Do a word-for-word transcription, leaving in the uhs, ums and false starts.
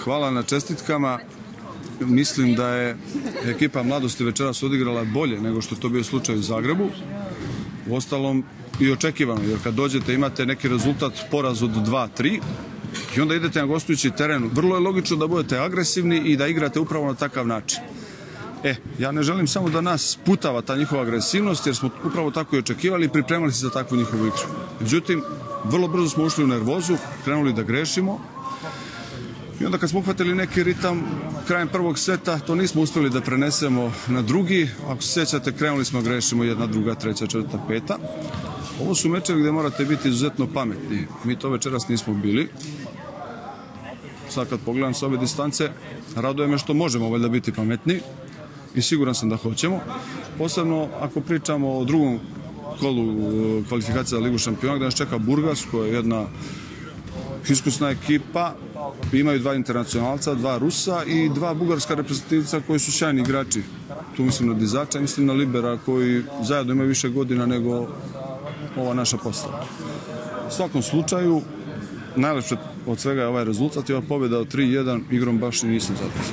hvala na čestitkama. Mislim da je ekipa Mladosti večeras odigrala bolje nego što je to bio slučaj u Zagrebu. Uostalom i očekivano, jer kad dođete imate neki rezultat poraz od dva tri i onda idete na gostujući teren. Vrlo je logično da budete agresivni i da igrate upravo na takav način. E, ja ne želim samo da nas putava ta njihova agresivnost, jer smo upravo tako i očekivali i pripremali se za takvu njihovu igru. Međutim, vrlo brzo smo ušli u nervozu, krenuli da grešimo i onda kad smo uhvatili neki ritam krajem prvog seta, to nismo uspjeli da prenesemo na drugi. Ako se sjećate, krenuli smo grešimo jedna, druga, treća, četvrta, peta. Ovo su mečevi gdje morate biti izuzetno pametni. Mi to večeras nismo bili. Sad kad pogledam s ove distance, raduje me što možemo valjda biti pametni i siguran sam da hoćemo. Posebno ako pričamo o drugom kolu kvalifikacija za Ligu šampiona, gdje nas čeka Burgas, koja je jedna iskusna ekipa. Imaju dva internacionalca, dva Rusa i dva bugarska reprezentativca koji su sjajni igrači. Tu mislim na Dizača i mislim na Libera, koji zajedno imaju više godina nego ova naša postava. U svakom slučaju, najlepše od svega je ovaj rezultat i ova pobjeda od tri jedan, igrom baš i nisam zadovoljan.